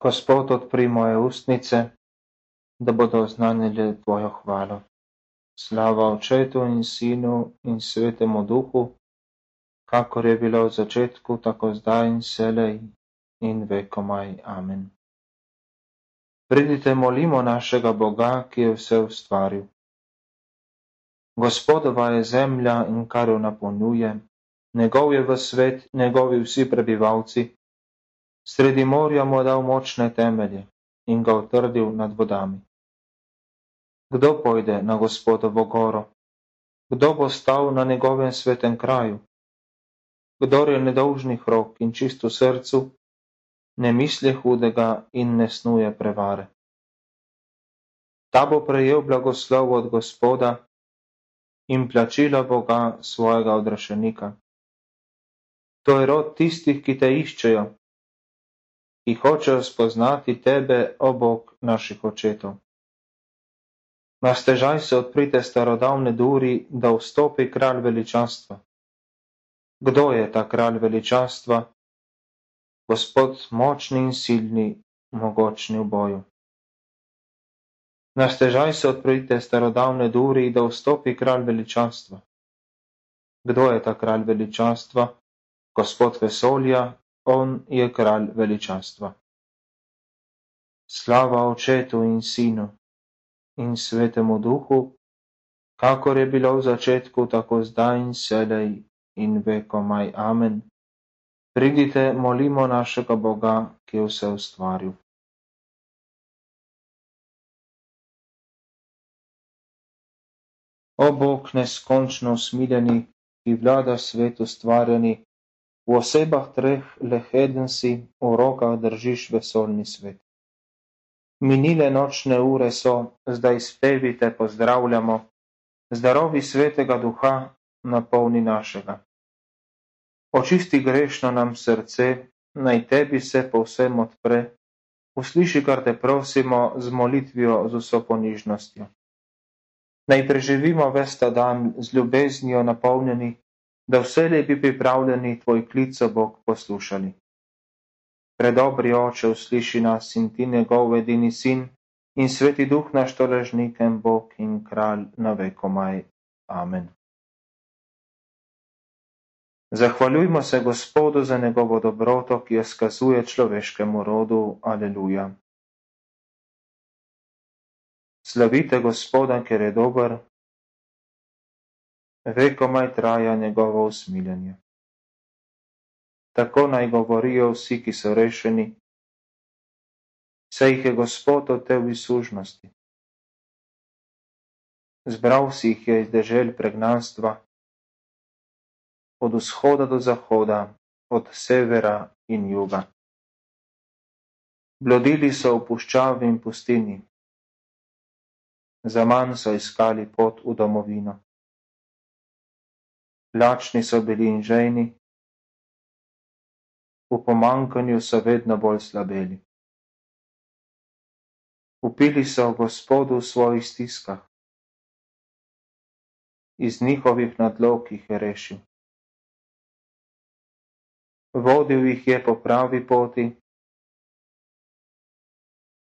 Gospod, odpri moje ustnice, da bodo oznanili Tvojo hvalo. Slava Očetu in Sinu in Svetemu Duhu, kakor je bilo v začetku, tako zdaj in vselej in vekomaj. Amen. Pridite, molimo našega Boga, ki je vse ustvaril. Gospodova je zemlja in kar jo napolnjuje, njegov je v svet, njegovi vsi prebivalci. Sredi morja mu je dal močne temelje in ga utrdil nad vodami. Kdo pojde na Gospodovo goro? Kdo bo stal na njegovem svetem kraju? Kdor je nedolžnih rok in čist v srcu, ne misli hudega in ne snuje prevare. Ta bo prejel blagoslov od Gospoda in plačilo Boga svojega odrešenika. To je rod tistih, ki te iščejo, ki hočejo spoznati tebe, o Bog naših očetov. Na stežaj se odprite starodavne duri, da vstopi kralj veličastva. Kdo je ta kralj veličastva? Gospod močni in silni, mogočni v boju. Na stežaj se odprite starodavne duri, da vstopi kralj veličastva. Kdo je ta kralj veličastva? Gospod vesolja, on je kralj veličastva. Slava Očetu in Sinu in Svetemu Duhu, kakor je bilo v začetku, tako zdaj in vselej in vekomaj. Amen. Pridite, molimo našega Boga, ki je vse ustvaril. O Bog neskončno usmiljeni, ki vlada svet ustvarjeni, v osebah treh le eden si, v rokah držiš vesoljni svet. Minile nočne ure so, zdaj spevi te pozdravljamo, zdarovi Svetega Duha napolni našega. Očisti grešno nam srce, naj tebi se povsem odpre, usliši, kar te prosimo, z molitvijo z vso ponižnostjo. Naj preživimo ves ta dan z ljubeznijo napolnjeni, da vselej bi pripravljeni tvoj klic, o Bog, poslušali. Predobri Oče, usliši nas in ti njegov edini sin in Sveti Duh naš toležnikem Bog in kralj na vekomaj. Amen. Zahvaljujmo se Gospodu za njegovo dobroto, ki jo skazuje človeškemu rodu. Aleluja. Slavite Gospoda, ker je dober, vekomaj traja njegovo usmiljenje. Tako naj govorijo vsi, ki so rešeni, saj jih je Gospod otel iz sužnosti. Zbral si jih je iz dežel pregnanstva, od vzhoda do zahoda, od severa in juga. Blodili so v puščavi in pustini, zaman so iskali pot v domovino. Lačni so bili in žejni, v pomanjkanju so vedno bolj slabeli. Upili so Gospodu v svojih stiskah, iz njihovih nadlog jih je rešil. Vodil jih je po pravi poti,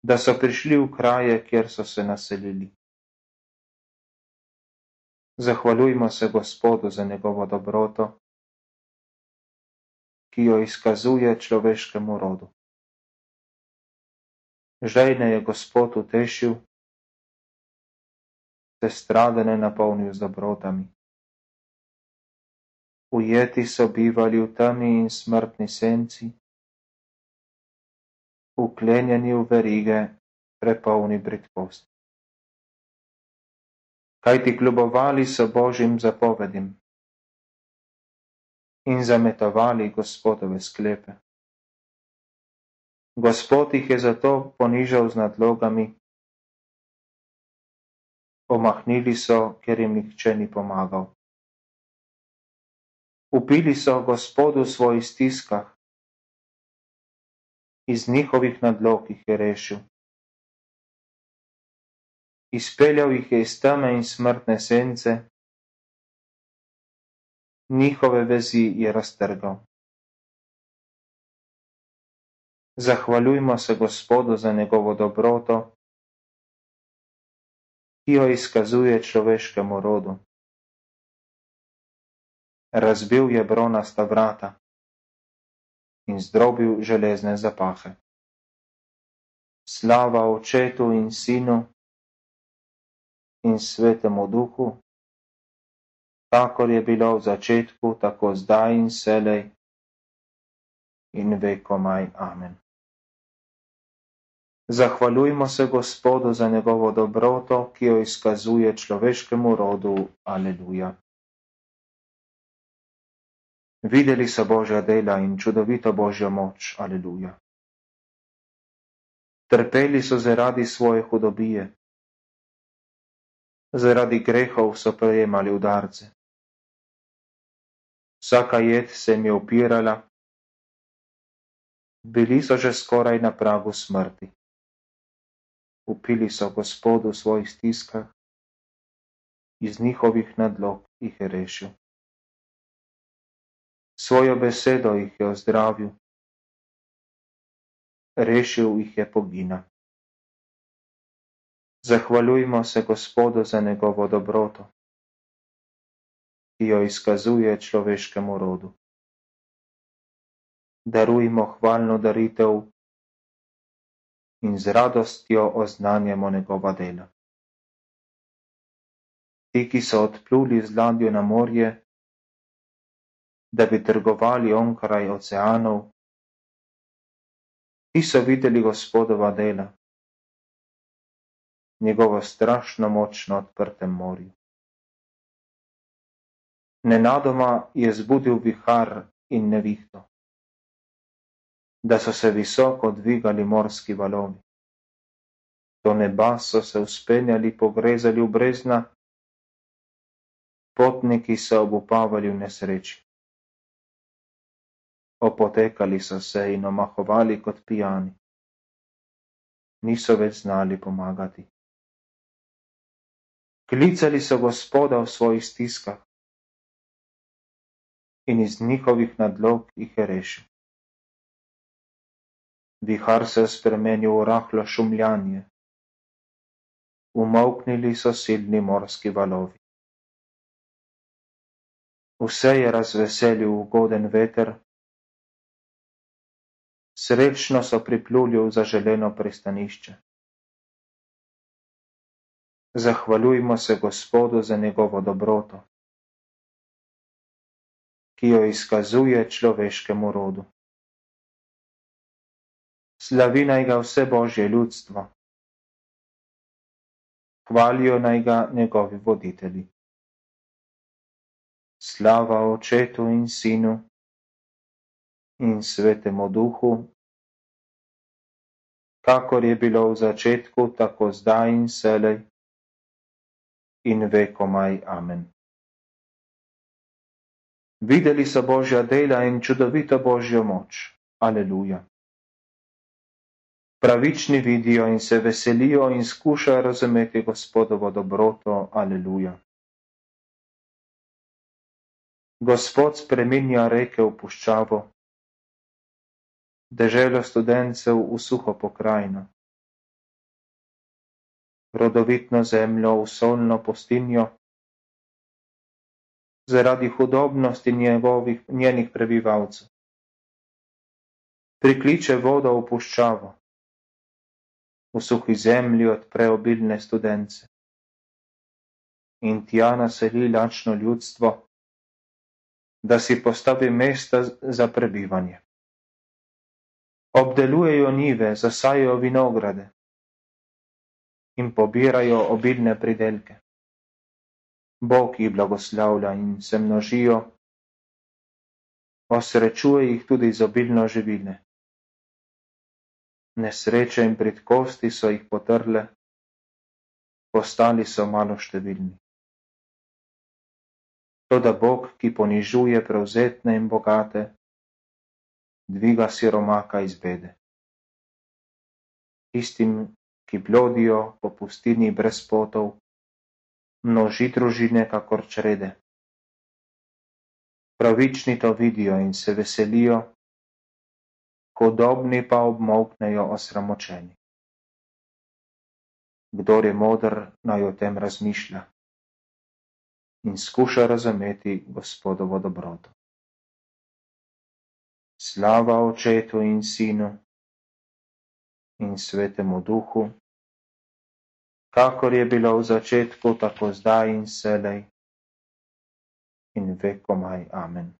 da so prišli v kraje, kjer so se naselili. Zahvaljujmo se Gospodu za njegovo dobroto, ki jo izkazuje človeškemu rodu. Žejne je Gospod utešil, sestradane napolnil z dobrotami. Ujeti so bivali v temi in smrtni senci, vklenjeni v verige, prepolni bridkosti. Kajti kljubovali so Božjim zapovedim in zametovali Gospodove sklepe. Gospod jih je zato ponižal z nadlogami, omahnili so, ker jim nihče ni pomagal. Upili so Gospodu v svojih stiskah, iz njihovih nadlog jih je rešil. Izpeljal jih je iz teme in smrtne sence, njihove vezi je raztrgal. Zahvaljujmo se Gospodu za njegovo dobroto, ki jo izkazuje človeškemu rodu. Razbil je bronasta vrata in zdrobil železne zapahe. Slava Očetu in Sinu in Svetemu Duhu, kakor je bilo v začetku, tako zdaj in vselej in vekomaj. Amen. Zahvaljujmo se Gospodu za njegovo dobroto, ki jo izkazuje človeškemu rodu. Aleluja. Videli so Božja dela in čudovito Božjo moč. Aleluja. Trpeli so zaradi svoje hudobije. Zaradi grehov so prejemali udarce. Vsaka jed se jim je upirala. Bili so že skoraj na pragu smrti. Upili so Gospodu v svojih stiskah, iz njihovih nadlog jih je rešil. Svojo besedo jih je ozdravil, rešil jih je pogina. Zahvaljujmo se Gospodu za njegovo dobroto, ki jo izkazuje človeškemu rodu. Darujmo hvalno daritev in z radostjo oznanjamo njegova dela. Ti, ki so odpluli z ladjo na morje, da bi trgovali onkraj oceanov, ti so videli Gospodova dela, njegovo strašno moč na odprtem morju. Nenadoma je zbudil vihar in nevihto, da so se visoko dvigali morski valovi. Do neba so se vzpenjali, pogrezali v brezna, potniki so obupavali v nesreči. Opotekali so se in omahovali kot pijani. Niso več znali pomagati. Klicali so Gospoda v svojih stiskah in iz njihovih nadlog jih je rešil. Vihar se je spremenil v rahlo šumljanje. Umolknili so silni morski valovi. Vse je razveselil ugoden veter. Srečno so pripluli v zaželeno pristanišče. Zahvaljujmo se Gospodu za njegovo dobroto, ki jo izkazuje človeškemu rodu. Slavi naj ga vse Božje ljudstvo. Hvalijo naj ga njegovi voditelji. Slava Očetu in Sinu in Svetemu Duhu, kakor je bilo v začetku, tako zdaj in vselej in vekomaj. Amen. Videli so Božja dela in čudovito Božjo moč. Aleluja. Pravični vidijo in se veselijo in skušajo razumeti Gospodovo dobroto. Aleluja. Gospod spreminja reke v puščavo, deželo studencev v suho pokrajino, rodovitno zemljo v solno pustinjo, zaradi hudobnosti njenih prebivalcev. Prikliče vodo v puščavo, v suhi zemlji odpre obilne studence in tja naseli lačno ljudstvo, da si postavi mesta za prebivanje. Obdelujejo njive, zasajajo vinograde in pobirajo obilne pridelke. Bog jih blagoslavlja in se množijo, osrečuje jih tudi z obilno živine. Nesreče in bridkosti so jih potrle, postali so maloštevilni. Toda Bog, ki ponižuje prevzetne in bogate, dviga siromaka iz bede. Tistim, ki blodijo po pustini brez potov, množi družine kakor črede. Pravični to vidijo in se veselijo, hudobni pa obmolknejo osramočeni. Kdor je moder, naj o tem razmišlja in skuša razumeti Gospodovo dobroto. Slava Očetu in Sinu in Svetemu Duhu, kakor je bilo v začetku, tako zdaj in vselej in vekomaj. Amen.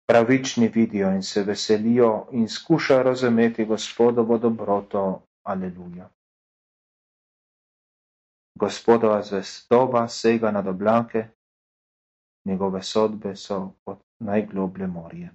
Pravični vidijo in se veselijo in skušajo razumeti Gospodovo dobroto. Aleluja. Gospodova zvestoba sega nad oblake, njegove sodbe so kot najgloblje morje.